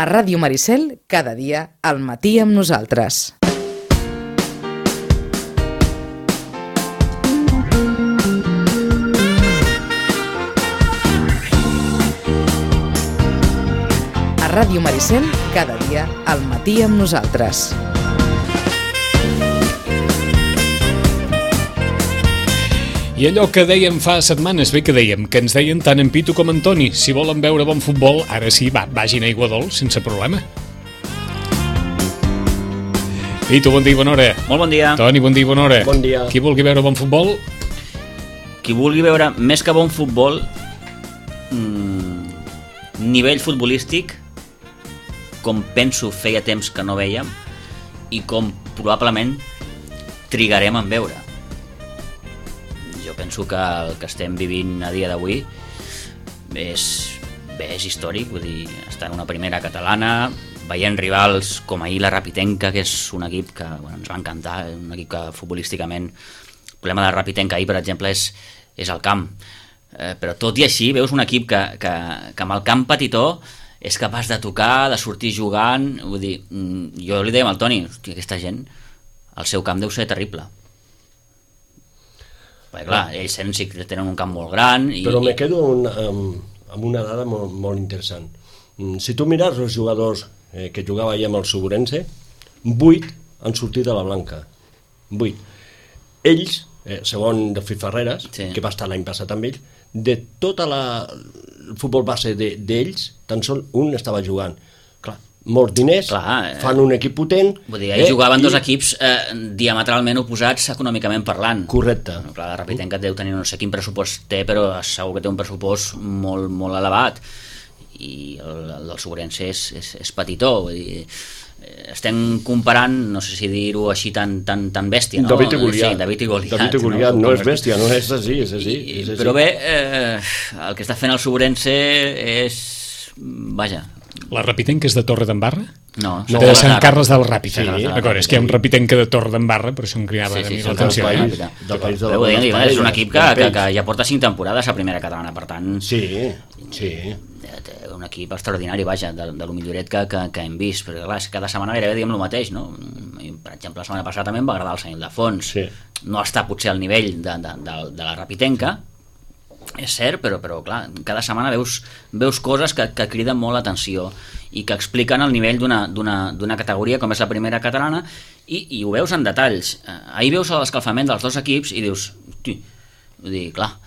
A Ràdio Maricel, cada dia, al matí amb nosaltres. A Ràdio Maricel, cada dia, al matí amb nosaltres. I allò que dèiem fa setmanes, que ens deien tant en Pitu com en Toni, si volen veure bon futbol, ara sí, vagin a Aiguadols, sense problema. Pitu, bon dia i bona hora. Molt bon dia. Toni, bon dia i bona hora. Bon dia. Qui vulgui veure bon futbol? Qui vulgui veure més que bon futbol, nivell futbolístic, com penso feia temps que no vèiem, i com probablement trigarem en veure. Jo penso que el que estem vivint a dia d'avui és històric, vull dir, estar en una primera catalana, veient rivals com ahir la Rapitenca, que és un equip que ens va encantar, un equip que futbolísticament, el problema de la Rapitenca ahir, per exemple, és el camp, però tot i així veus un equip que amb el camp petitó és capaç de tocar, de sortir jugant, vull dir, jo li dèiem al Toni, hòstia, aquesta gent, el seu camp deu ser terrible. Perquè clar, ells sí que tenen un camp molt gran però me quedo amb una dada molt interessant. Si tu mires els jugadors que jugava ahir amb el Suburense, 8 han sortit de la blanca, 8. Ells, segons de Fifarreras, sí, que va estar l'any passat amb ells, de tot el futbol base d'ells, tan sol un estava jugant. Clar, molts diners, fan un equip potent. Vull dir, ells jugaven dos equips diametralment oposats econòmicament parlant. Correcte. Clar, la Rapitenca deu tenir no sé quin pressupost té, però segur que té un pressupost molt, molt elevat, i el del Suburense és petitó. Vull dir, estem comparant, no sé si dir-ho així tan bèstia, no? David i Goliat. Sí, David i Goliat. David i Goliat no és bèstia, no és així, és així. Però bé, el que està fent el Suburense és... Vaja. La Rapitenca és de Torredembarra? No. De Sant Carles del Ràpid. Sí, d'acord, és que hi ha un Rapitenca de Torredembarra, per això em cridava a mi l'atenció. És un equip que ja porta 5 temporades a primera catalana, per tant... Sí. Un equip extraordinari, vaja, de lo milloret que hem vist, perquè clar, cada setmana gairebé diem el mateix, no? Per exemple, la setmana passada també em va agradar el Sant Ildefons. No està potser al nivell de la Rapitenca, és cert, però clar, cada setmana veus coses que criden molt l'atenció i que expliquen el nivell d'una categoria com és la primera catalana, i ho veus en detalls. Ahir veus l'escalfament dels dos equips i dius, vull dir, clar,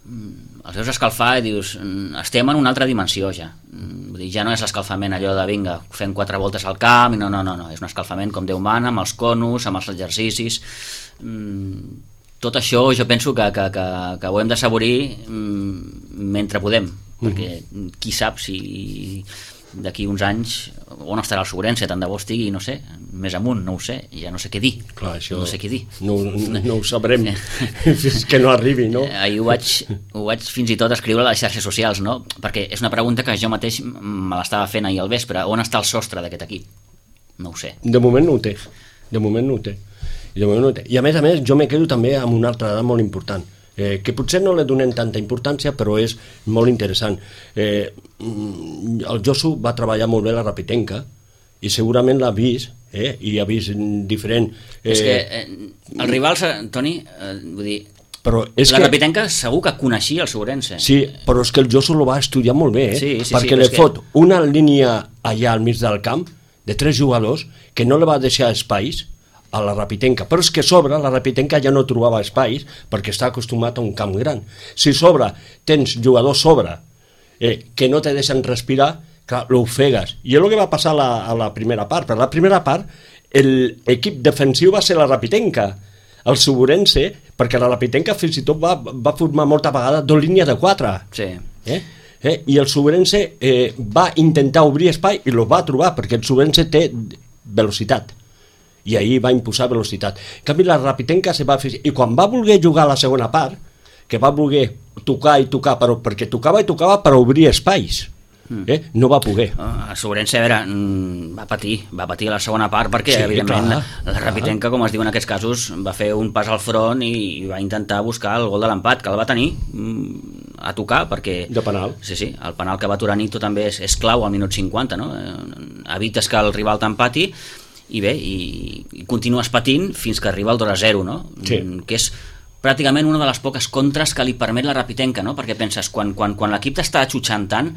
els veus escalfar i dius, estem en una altra dimensió ja. Vull dir, ja no és l'escalfament allò de vinga, fem 4 voltes al camp, no, és un escalfament com Déu mana, amb els conos, amb els exercicis. Tot això jo penso que ho hem d'assaborir mentre podem, perquè qui sap si d'aquí uns anys on estarà el Suburense, tant de bo estigui, no sé, més amunt, no ho sé, ja no sé què dir. Clar, això no sé què dir. No ho sabrem fins que no arribi, no? Ahir ho vaig fins i tot escriure a les xarxes socials, no? Perquè és una pregunta que jo mateix me l'estava fent ahir al vespre. On està el sostre d'aquest equip? No ho sé. De moment no ho té. I a més, jo me quedo també amb una altra dada molt important, que potser no li donem tanta importància, però és molt interessant. El Josu va treballar molt bé a la Rapitenca i segurament l'ha vist, i ha vist diferent... És que els rivals, Toni, vull dir, la Rapitenca segur que coneixia el Suburense. Sí, però és que el Josu lo va estudiar molt bé, perquè li fot una línia allà al mig del camp de 3 jugadors que no li va deixar espais a la Rapitenca, però és que sobre la Rapitenca ja no trobava espais perquè està acostumat a un camp gran. Si sobre tens jugadors sobre que no te deixen respirar, clar, l'ofegues. I és el que va passar a la primera part. Per la primera part l'equip defensiu va ser la Rapitenca, el Suburense, perquè la Rapitenca fins i tot va formar molta vegada 2 línies de 4. Sí. I el Suburense va intentar obrir espai i el va trobar, perquè el Suburense té velocitat, i ahir va imposar velocitat. En canvi, la Rapitenca se va fer... I quan va voler jugar a la segona part, que va voler tocar i tocar, perquè tocava i tocava per obrir espais, no va poder. El Suburense, a veure, va patir a la segona part perquè, evidentment, la Rapitenca, com es diu en aquests casos, va fer un pas al front i va intentar buscar el gol de l'empat, que el va tenir a tocar, perquè... De penal. Sí, el penal que va aturar Nito també és clau al minut 50, no? Evites que el rival t'empati i bé, i continues patint fins que arriba el 2-0, no? Sí. Que és pràcticament una de les poques contres que li permet la Rapitenca, no? Perquè penses, quan l'equip t'està xutxant tant,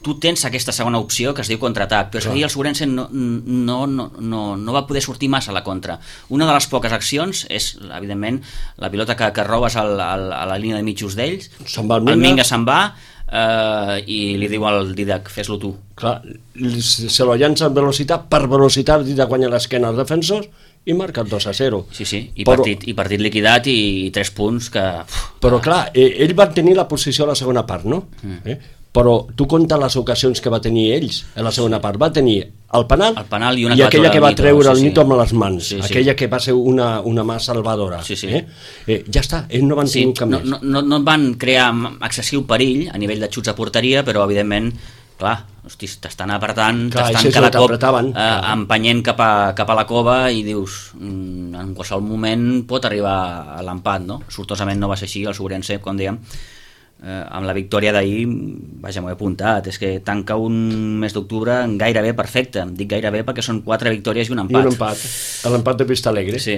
tu tens aquesta segona opció que es diu contraatac, però ahir el Segurense no va poder sortir massa a la contra. Una de les poques accions és, evidentment, la pilota que robes a la línia de mitjos d'ells, el Minga se'n va i li diu al Didac, fes-lo tu. Clar, se lo llança amb velocitat, per velocitat Didac guanya l'esquena als defensors i marca el 2-0. Sí, i partit liquidat i 3 punts que... Però clar, ell va tenir la posició a la segona part, no? Però tu compta les ocasions que va tenir ells a la segona part. Va tenir el penal i aquella que va treure el Nito amb les mans, aquella que va ser una mà salvadora. Ja està, ells no van tenir cap més. No van crear excessiu perill a nivell de xuts a porteria, però evidentment, clar, t'estan apretant, t'estan cada cop empenyent cap a la cova i dius, en qualsevol moment pot arribar a l'empat, no? Sortosament no va ser així, el Segurense, com dèiem, amb la victòria d'ahir, vaja, m'ho he apuntat, és que tanca un mes d'octubre gairebé perfecte. Dic gairebé perquè són 4 victòries i un empat. I un empat, l'empat de Vista Alegre. Sí,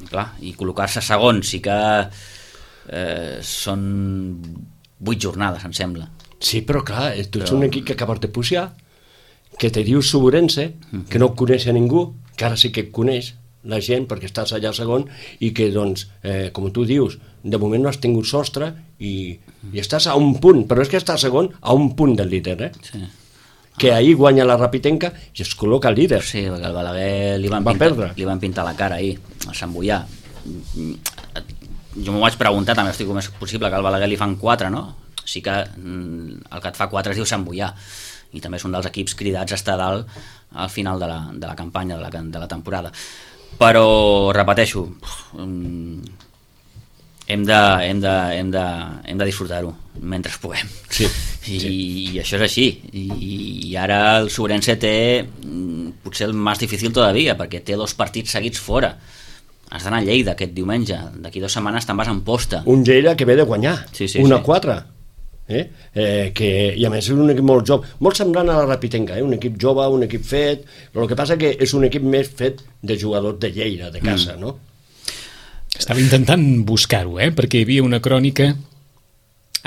clar, i col·locar-se segon sí que són 8 jornades, em sembla. Sí, però clar, tu ets un equip que acabes de pujar, que te diu Segurense, que no coneix a ningú, que ara sí que et coneix la gent perquè estàs allà segon i que doncs, com tu dius, de moment no has tingut sostre i estàs a un punt, però és que estàs segon a un punt del líder, que ahir guanya la Rapitenca i es col·loca el líder. Sí, perquè el Balaguer li van pintar la cara ahir, a Sant Boià. Jo m'ho vaig preguntar, també estic com és possible que al Balaguer li fan 4, no? Sí que el que et fa 4 es diu Sant Boià i també és un dels equips cridats a estar dalt al final de la campanya, de la temporada. Però, repeteixo, hem de disfrutar-ho mentre puguem. I això és així. I ara el Segurense té potser el més difícil todavía, perquè té 2 partits seguits fora. Has d'anar a Lleida aquest diumenge, d'aquí 2 setmanes te'n vas a Amposta. Un Lleida que ve de guanyar, 1-4. I a més és un equip molt jove, molt semblant a la Rapitenca, un equip jove, un equip fet, però el que passa que és un equip més fet de jugadors de Lleida, de casa, no? Estava intentant buscar-ho, perquè hi havia una crònica,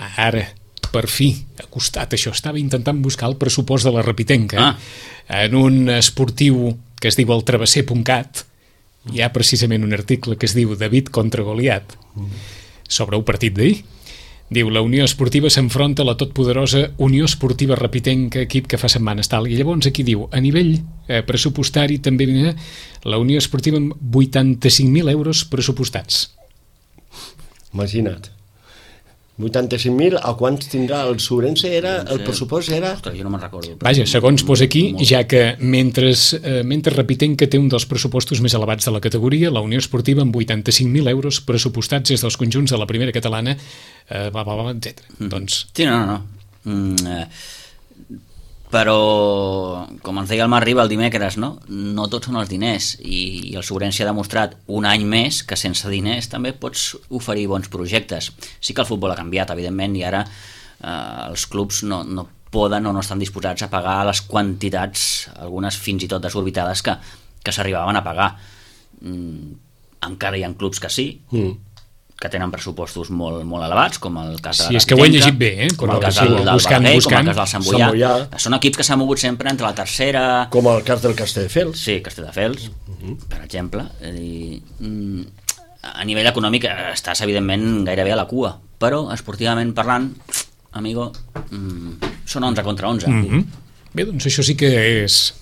ara, per fi, ha costat això, estava intentant buscar el pressupost de la Rapitenca, en un esportiu que es diu el travesser.cat, hi ha precisament un article que es diu David contra Goliat, sobre un partit d'ahir. Diu, la Unió Esportiva s'enfronta a la totpoderosa Unió Esportiva Rapitenca, equip que fa setmanes tal. I llavors aquí diu, a nivell pressupostari també la Unió Esportiva amb 85.000 euros pressupostats. Imagina't. 85.000, a quants tindrà el Segurense? El pressupost era... Ostres, jo no me'n recordo. Vaja, segons posa aquí, ja que mentre Rapitenca té un dels pressupostos més elevats de la categoria, la Unió Esportiva amb 85.000 euros pressupostats des dels conjunts de la primera catalana, etc. Doncs... Sí, no. Però, com ens deia el Marc Riba el dimecres, no tots són els diners, i el Segurense ha demostrat un any més que sense diners també pots oferir bons projectes. Sí que el futbol ha canviat, evidentment, i ara els clubs no poden o no estan disposats a pagar les quantitats, algunes fins i tot desorbitades, que s'arribaven a pagar. Encara hi ha clubs que sí, que tenen pressupostos molt, molt elevats, com el cas de la Rapitenca, és que ho he llegit bé, com el cas del Balaguer, com el cas del Sant Boià. Són equips que s'han mogut sempre entre la tercera... Com el cas del Castelldefels. Sí, Castelldefels, per exemple. A nivell econòmic estàs, evidentment, gairebé a la cua, però esportivament parlant, amigo, són 11 contra 11. Bé, doncs això sí que és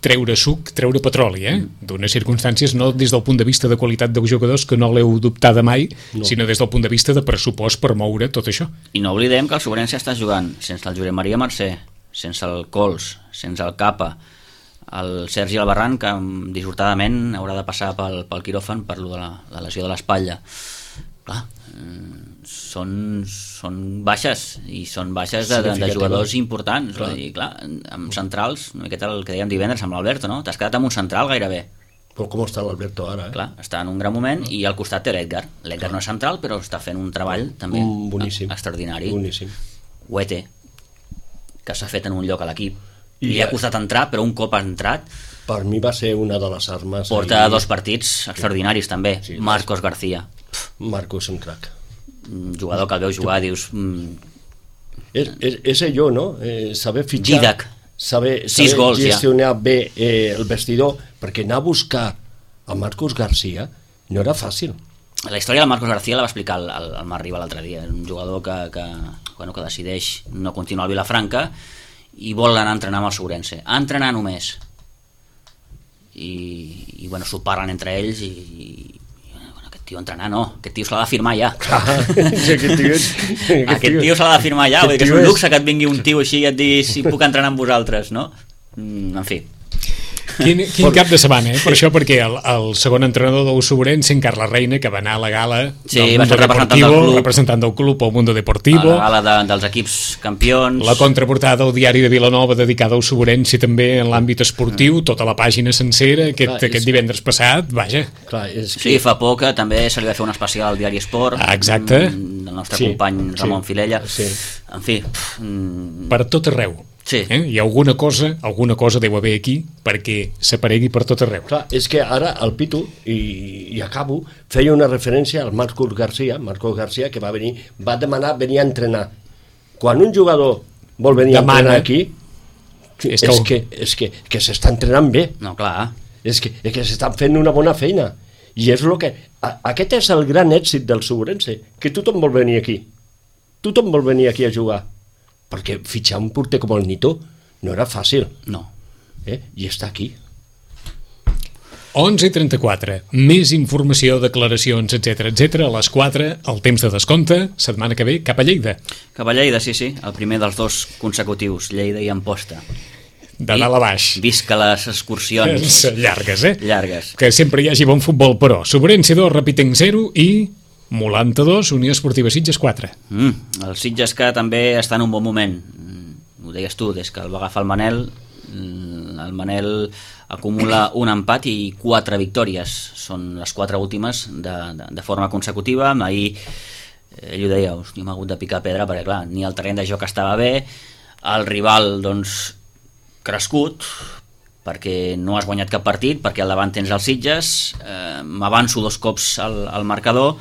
treure suc, treure petroli, d'unes circumstàncies no des del punt de vista de qualitat dels jugadors, que no l'heu dubtada mai, sinó des del punt de vista de pressupost per moure tot això. I no oblidem que el Segurense està jugant sense el Josep Maria Mercè, sense el Cols, sense el Capa, el Sergi Albarrán, que dissortadament haurà de passar pel quiròfan per la lesió de l'espatlla. Clar, són baixes, i són baixes de jugadors importants, clar, amb centrals, una miqueta el que dèiem divendres amb l'Alberto, no? T'has quedat amb un central gairebé, Com està l'Alberto ara, Clar, està en un gran moment, i al costat té l'Edgar. L'Edgar no és central, però està fent un treball també boníssim, extraordinari. Boníssim. Huete, que s'ha fet en un lloc a l'equip. I li ha costat entrar, però un cop ha entrat... Per mi va ser una de les armes... Porta 2 partits extraordinaris, també. Sí, Marcos García. Marcos és un crac. Jugador que el veu jugar, dius... És allò, no? Saber fitxar... Didac. Saber gols, gestionar bé el vestidor, perquè anar a buscar a Marcos García no era fàcil. La història del Marcos García la va explicar el Marc Riba l'altre dia. Un jugador que decideix no continuar al Vilafranca i vol anar a entrenar amb el Segurense. A entrenar només. I s'ho parlen entre ells i aquest tio entrenar no, aquest tio se l'ha de firmar ja. Aquest tio se l'ha de firmar ja, vull dir que és un luxe que et vingui un tio així i et digui si puc entrenar amb vosaltres, no? En fi. Quin cap de setmana, per això, perquè el segon entrenador del Segurense, en Carles Reina, que va anar a la gala del Mundo Deportivo, representant del club al Mundo Deportivo, a la gala dels equips campions, la contraportada del diari de Vilanova dedicada al Segurense també en l'àmbit esportiu, tota la pàgina sencera aquest divendres passat, vaja. Sí, fa poc també se li va fer un especial al diari Esport, exacte, del nostre company Ramon Filella, en fi, per tot arreu. Sí. I alguna cosa deu haver aquí perquè s'aparegui per tot arreu. Clar, és que ara el Pitu, i acabo, feia una referència al Marcos García, que va demanar venir a entrenar. Quan un jugador vol venir a entrenar aquí, és que s'està entrenant bé. No, clar. És que s'estan fent una bona feina. I és el que... Aquest és el gran èxit del Segurense, que tothom vol venir aquí. Tothom vol venir aquí a jugar. Perquè fitxar un porter com el Nito no era fàcil. No. I està aquí. 11:34. Més informació, declaracions, etc a les 4, el temps de descompte, setmana que ve, cap a Lleida. Cap a Lleida, sí. El primer dels 2 consecutius, Lleida i Amposta. De dalt a baix. Visca les excursions. Llargues, Llargues. Que sempre hi hagi bon futbol, però. Segurense 2, Rapitenc 0 i... Molanta 2, Unió Esportiva Sitges 4. El Sitges que també està en un bon moment. Ho deies tu, des que el va agafar el Manel acumula un empat i 4 victòries. Són les 4 últimes de forma consecutiva. Ahir ell ho deia, hosti, m'ha hagut de picar pedra perquè clar, ni el terreny de joc estava bé, el rival doncs crescut, perquè no has guanyat cap partit, perquè al davant tens el Sitges, m'avanço 2 cops al marcador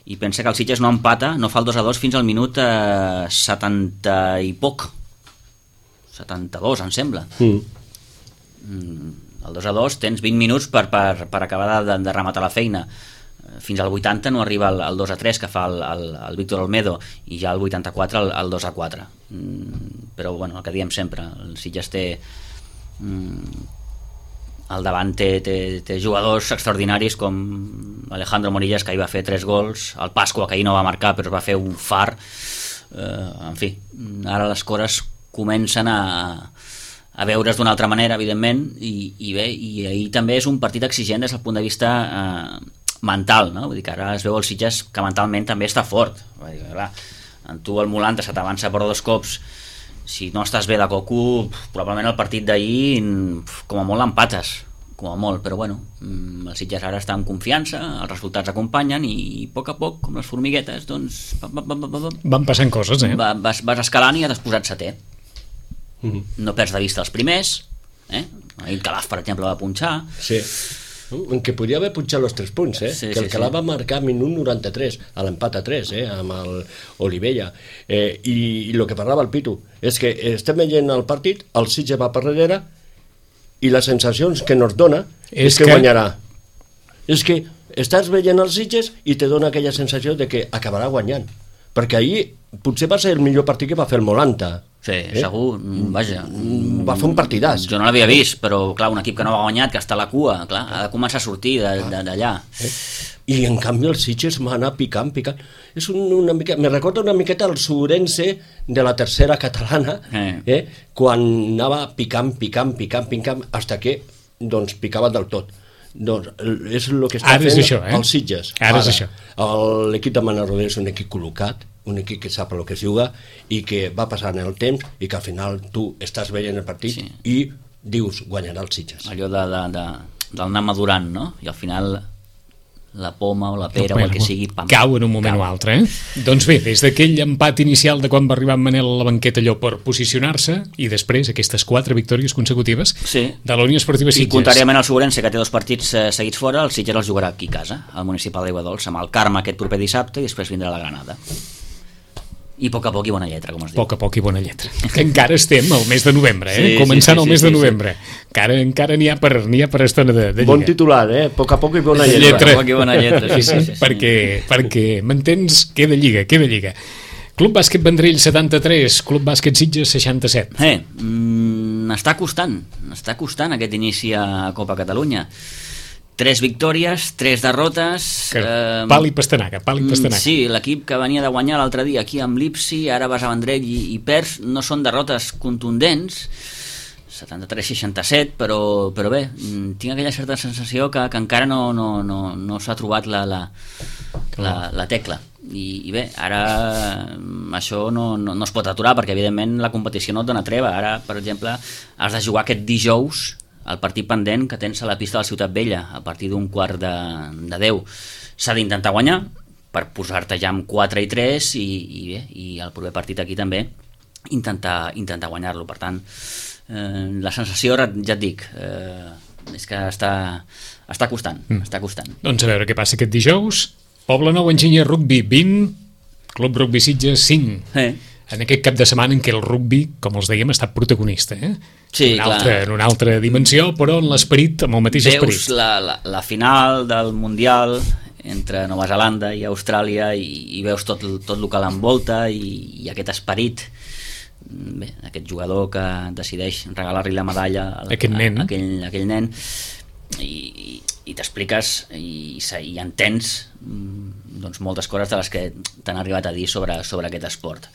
i pensa que el Sitges no empata, no fa el 2-2 fins al minut 70 i poc, 72 em sembla. El 2-2 tens 20 minuts per acabar de rematar la feina. Fins al 80 no arriba el 2-3 que fa el Víctor Olmedo, i ja al 84 el 2-4. Però bueno, el que diem sempre, el Sitges té al davant té jugadors extraordinaris com Alejandro Morillas, que ahir va fer 3 gols, el Pasqua, que ahir no va marcar però va fer un far, en fi, ara les coses comencen a veure's d'una altra manera, evidentment, i bé, i ahir també és un partit exigent des del punt de vista mental, no? Vull dir que ara es veu el Sitges que mentalment també està fort. Vull dir, clar, en tu el Molanta se t'avança per 2 cops, si no estàs bé de coco, probablement el partit d'ahir com a molt l'empates, com a molt, però bueno, el Sitges ara està en confiança, els resultats acompanyen i a poc, com les formiguetes, doncs van passant coses, vas escalant i has posat 7è. No perds de vista els primers, ahir Calaf, per exemple, va punxar. Sí, en què podia haver punxat els 3 punts, que el Calaf va marcar minut 93 a l'empat a 3, amb el Olivella, i el que parlava el Pitu és que estem veient el partit, el Sitges va per darrere i les sensacions que nos dona és que guanyarà. És que estàs veient els Sitges i te dona aquella sensació de que acabarà guanyant, perquè ahir potser va ser el millor partit que va fer el Molanta. Sí, segur, vaja. Va fer un partidàs. Jo no l'havia vist, però clar, un equip que no ha guanyat, que està a la cua, clar, ha de començar a sortir d'allà. I en canvi el Sitges m'ha anat picant. És una mica, me recorda una miqueta el Segurense de la tercera catalana, quan anava picant, hasta que doncs picava del tot. Doncs és el que està fent el Sitges. Ara és això. L'equip de Manel Rodés és un equip col·locat, un equip que sap el que es juga i que va passant el temps i que al final tu estàs veient el partit i dius guanyarà el Sitges. Allò anar madurant, no? I al final la poma o la pera o el que sigui cau en un moment o altre, Doncs bé, des d'aquell empat inicial de quan va arribar en Manel a la banqueta allò per posicionar-se, i després aquestes 4 victòries consecutives de la Unió Esportiva Sitges. I contràriament al Segurense, que té 2 partits seguits fora, el Sitges els jugarà aquí a casa, al municipal d'Aigua Dolça, amb el Carme aquest proper dissabte, i després vindrà la Granada. I a poc i bona lletra, com es diu. A poc i bona lletra. Que encara estem al mes de novembre, començant el mes de novembre. Encara n'hi ha per estona de lliga. Bon titular, a poc i bona lletra. A poc i bona lletra, sí. Perquè m'entens? Queda lliga. Club Bàsquet Vendrell 73, Club Bàsquet Sitges 67. Està costant aquest inici a Copa Catalunya. 3 victòries, 3 derrotes... Pal i pastanaga. Sí, l'equip que venia de guanyar l'altre dia aquí amb l'Ipsi, ara vas a Vendrell i perds, no són derrotes contundents, 73-67, però bé, tinc aquella certa sensació que encara no s'ha trobat la tecla. I bé, ara això no es pot aturar, perquè evidentment la competició no et dona treva. Ara, per exemple, has de jugar aquest dijous el partit pendent que tens a la pista de la Ciutat Vella a partir d'un 9:15. S'ha d'intentar guanyar per posar-te ja amb 4 i 3 i el proper partit aquí també intentar guanyar-lo. Per tant, la sensació, ja et dic, és que està costant. Doncs a veure què passa aquest dijous. Poblenou Enginyer Rugby 20, Club Rugby Sitges 5. En aquest cap de setmana en què el rugby, com els dèiem, ha estat protagonista, Sí, en una altra dimensió, però en l'esperit, amb el mateix esperit. Veus la final del Mundial entre Nova Zelanda i Austràlia i veus tot el que l'envolta i aquest esperit, bé, aquest jugador que decideix regalar-li la medalla a aquell nen, i t'expliques i entens doncs moltes coses de les que t'han arribat a dir sobre aquest esport.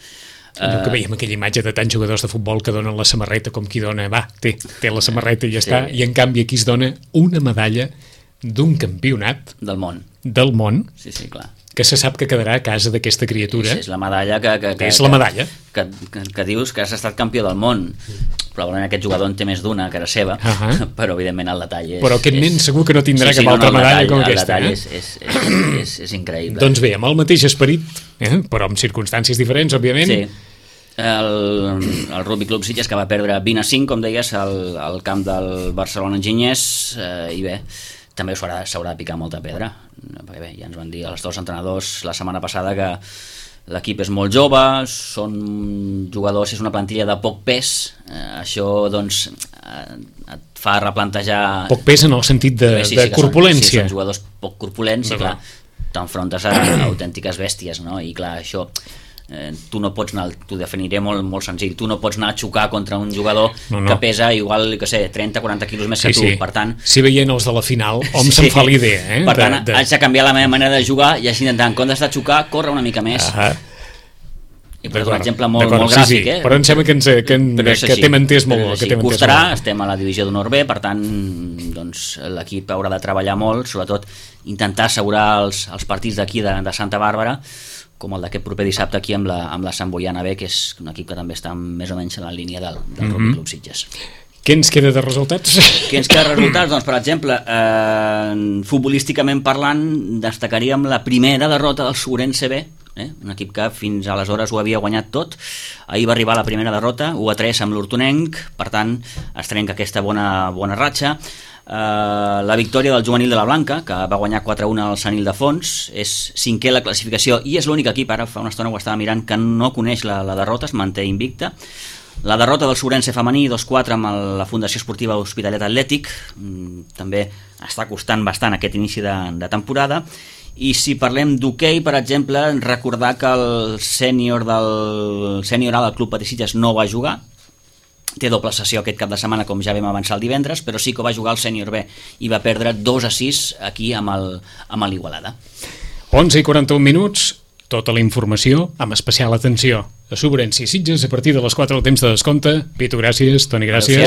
Allò que veiem aquella imatge de tants jugadors de futbol que donen la samarreta com qui dona, té la samarreta i ja està, i en canvi aquí es dona una medalla d'un campionat del món, sí, clar, que se sap que quedarà a casa d'aquesta criatura. És la medalla que dius que has estat campió del món. Probablement aquest jugador en té més d'una que era seva, però evidentment el detall és... Però aquest nen segur que no tindrà cap altra medalla com aquesta. El detall és increïble. Doncs bé, amb el mateix esperit, però amb circumstàncies diferents, òbviament. Sí. El Rugby Club Sitges, que va perdre 20-5, com deies, al camp del Barcelona Enginyers, i bé, també s'haurà de picar molta pedra, perquè bé, ja ens van dir els 2 entrenadors la setmana passada que l'equip és molt jove, són jugadors, és una plantilla de poc pes, això doncs et fa replantejar... Poc pes en el sentit de corpulència. Són jugadors poc corpulents i clar, t'enfrontes a autèntiques bèsties, no? I clar, això... tu no pots anar, t'ho definiré molt senzill, tu no pots anar a xocar contra un jugador que pesa igual, 30-40 quilos més que tu, per tant... Si veient els de la final, se'n fa l'idea, Per tant, haig de canviar la meva manera de jugar i així intentar, en comptes de xocar, córrer una mica més. I per un exemple molt gràfic, però em sembla que t'hem entès molt. Costarà, estem a la divisió d'honor B, per tant, doncs, l'equip haurà de treballar molt, sobretot intentar assegurar els partits d'aquí de Santa Bàrbara, com el d'aquest proper dissabte aquí amb la Sant Boiana B, que és un equip que també està més o menys en la línia del Rugby Club Sitges. Què ens queda de resultats? Doncs, per exemple, futbolísticament parlant, destacaríem la primera derrota del Segurense B, un equip que fins aleshores ho havia guanyat tot. Ahir va arribar la primera derrota, 1-3 amb l'Hortonenc, per tant es trenca aquesta bona ratxa. La victòria del juvenil de la Blanca, que va guanyar 4-1 al Sant Ildefons, és 5è a la classificació i és l'únic equip, ara fa una estona ho estava mirant, que no coneix la derrota, es manté invicta. La derrota del Segurense femení 2-4 amb la Fundació Esportiva Hospitalet Atlètic, també està costant bastant aquest inici de temporada. I si parlem d'hoquei, per exemple, recordar que el sènior A del Club Patí Sitges no va jugar, té doble sessió aquest cap de setmana, com ja vam avançar el divendres, però sí que va jugar el sènior B i va perdre 2-6 aquí amb l'Igualada. 11:41, tota la informació amb especial atenció a Segurense i Sitges a partir de les 4 del temps de descompte. Pitu, gràcies. Toni, gràcies.